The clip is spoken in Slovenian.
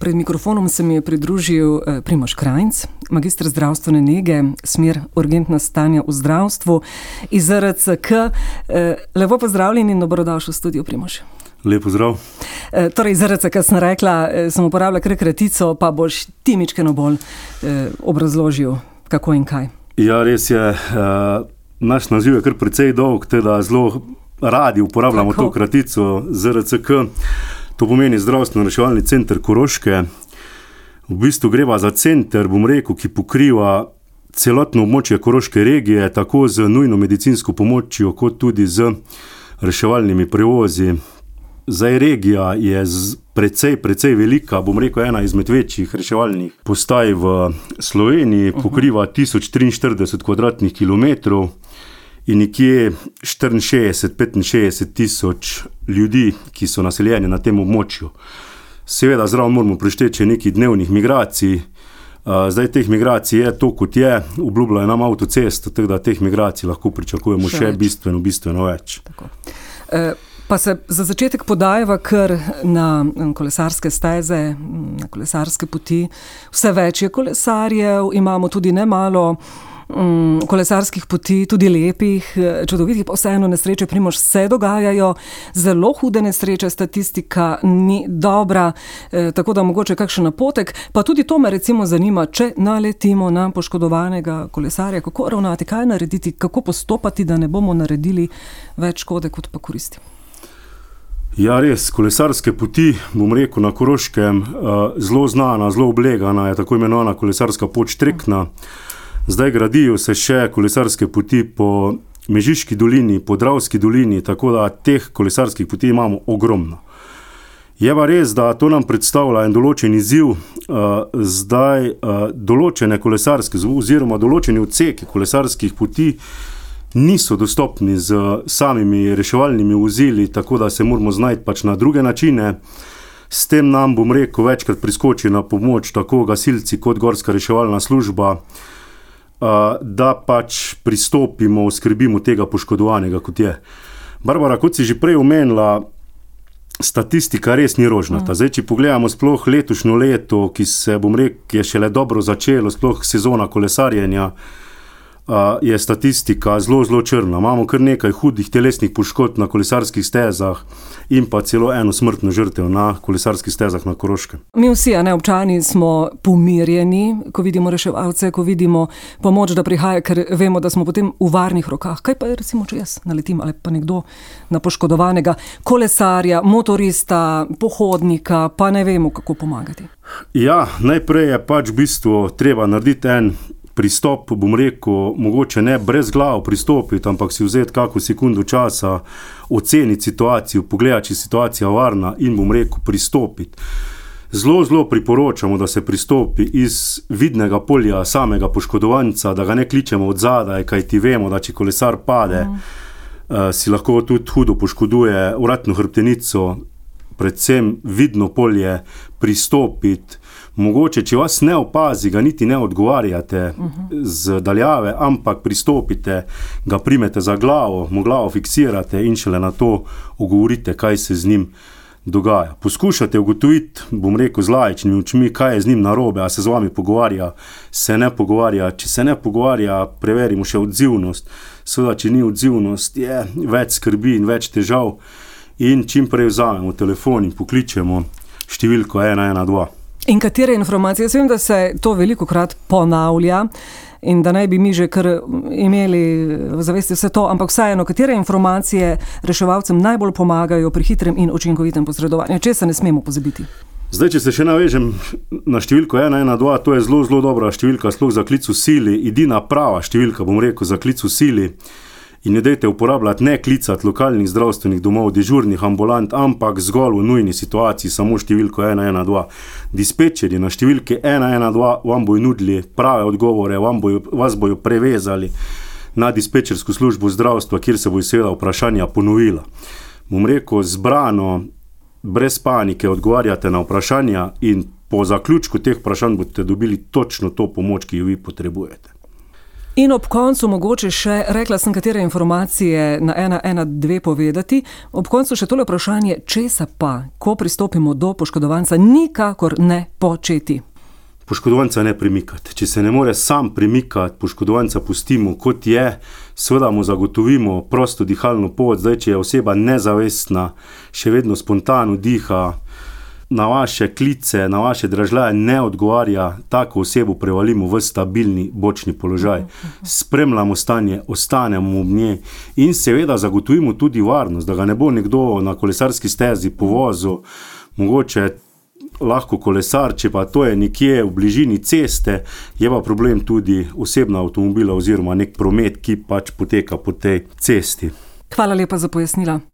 Pred mikrofonom se mi je pridružil Primož Krajnc, magister zdravstvene nege, smer urgentna stanja v zdravstvu iz ZRCK. Lepo pozdravljen in dobrodošel v studiu, Primož. Lep pozdrav. Torej, ZRCK sem rekla, sem uporabila kar kratico, pa boš ti mičkeno bolj obrazložil, kako in kaj. Ja, res je. Naš naziv je kar precej dolg, teda zelo radi uporabljamo to kratico ZRCK. To pomeni Zdravstveno-reševalni center Koroške. V bistvu greva za center, bom rekel, ki pokriva celotno območje Koroške regije, tako z nujno medicinsko pomočjo, kot tudi z reševalnimi prevozi. Zdaj regija je precej velika, bom rekel, ena izmed večjih reševalnih postaj v Sloveniji, pokriva 1043 kvadratnih kilometrov in nekje 64-65 tisoč ljudi, ki so naseljeni na tem območju. Seveda zraven moramo prišteči nekaj dnevnih migracij. Zdaj teh migracij je to, kot je, obljubljajo nam avtocesto, tako da teh migracij lahko pričakujemo še bistveno več. Tako. Pa se za začetek podajava kar na kolesarske steze, na kolesarske poti. Vse več je kolesarjev, imamo tudi nemalo kolesarskih poti, tudi lepih, čudovitih, pa vseeno nesreče, Primož, se dogajajo, zelo hude nesreče, statistika ni dobra, tako da mogoče kakšen napotek, pa tudi to me recimo zanima, če naletimo na poškodovanega kolesarja, kako ravnati, kaj narediti, kako postopati, da ne bomo naredili več škode, kot pa koristi. Ja, res, kolesarske poti, bom rekel, na Koroškem, zelo znana, zelo oblegana je tako imenovana kolesarska pot Štrekna. Zdaj gradijo se še kolesarske poti po Mežiški dolini, po Dravski dolini, tako da teh kolesarskih poti imamo ogromno. Je pa res, da to nam predstavlja en določen izziv, zdaj določene kolesarske oziroma določeni odseki kolesarskih poti niso dostopni z samimi reševalnimi vozili, tako da se moramo znajti pač na druge načine. S tem nam, bom rekel, večkrat priskoči na pomoč tako gasilci kot gorska reševalna služba, da pač pristopimo, skrbimo tega poškodovanega, kot je. Barbara, kot si že prej omenila, statistika res ni rožnata. Zdaj, če pogledamo sploh letošnjo leto, ki se, bom rekel, je šele dobro začelo, sploh sezona kolesarjenja, je statistika zelo črna. Imamo kar nekaj hudih telesnih poškodb na kolesarskih stezah in pa celo eno smrtno žrtev na kolesarskih stezah na Koroškem. Mi vsi, občani, smo pomirjeni, ko vidimo reševalce, ko vidimo pomoč, da prihaja, ker vemo, da smo potem v varnih rokah. Kaj pa je, recimo, če jaz naletim ali pa nekdo na poškodovanega kolesarja, motorista, pohodnika, pa ne vemo, kako pomagati? Ja, najprej je pač v bistvu treba narediti en pristop, bom rekel, mogoče ne brez glav pristopiti, ampak si vzeti kako sekundo časa, oceniti situacijo, pogledati, če je situacija varna in, bom rekel, pristopiti. Zelo priporočamo, da se pristopi iz vidnega polja samega poškodovanca, da ga ne kličemo od zadaj, kajti vemo, da če kolesar pade, si lahko tudi hudo poškoduje vratno hrbtenico, predvsem vidno polje, pristopiti. Mogoče, če vas ne opazi, ga niti ne odgovarjate z daljave, ampak pristopite, ga primete za glavo, mu glavo fiksirate in šele na to ogovorite, kaj se z njim dogaja. Poskušate ugotoviti, bom rekel, z laičnimi očmi, kaj je z njim narobe, a se z vami pogovarja, se ne pogovarja. Če se ne pogovarja, preverimo še odzivnost. Seveda, če ni odzivnost, je več skrbi in več težav in čim prej vzamemo telefon in pokličemo številko 112. In katere informacije? Jaz vem, da se to velikokrat ponavlja in da naj bi mi že kar imeli v zavesti vse to, ampak vseeno, katere informacije reševalcem najbolj pomagajo pri hitrem in učinkovitem posredovanju? Česa ne smemo pozabiti? Zdaj, če se še navežem na številko 112, to je zelo dobra številka, sploh za klic v sili, edina prava številka, bom rekel, za klic v sili. In ne dajte uporabljati, ne klicati lokalnih zdravstvenih domov, dežurnih ambulant, ampak zgolj v nujni situaciji samo številko 112. Dispečerji na številki 112 vam bojo nudili prave odgovore, vas bojo prevezali na dispečersko službo zdravstva, kjer se bojo seveda vprašanja ponovila. Bom rekel, zbrano, brez panike odgovarjate na vprašanja in po zaključku teh vprašanj boste dobili točno to pomoč, ki jo vi potrebujete. In ob koncu mogoče še, rekla sem, katere informacije na 112 povedati, ob koncu še tole vprašanje, česa pa, ko pristopimo do poškodovanca, nikakor ne početi. Poškodovanca ne premikati. Če se ne more sam premikati, poškodovanca pustimo kot je, seveda mu zagotovimo prosto dihalno pot, zdaj če je oseba nezavestna, še vedno spontano diha, na vaše klice, na vaše dražljaje ne odgovarja, tako osebo prevalimo v stabilni bočni položaj. Spremljamo stanje, ostanemo ob njej in seveda zagotovimo tudi varnost, da ga ne bo nekdo na kolesarski stezi povozil, mogoče lahko kolesar, če pa to je nekje v bližini ceste, je pa problem tudi osebna avtomobila oziroma nek promet, ki pač poteka po tej cesti. Hvala lepa za pojasnila.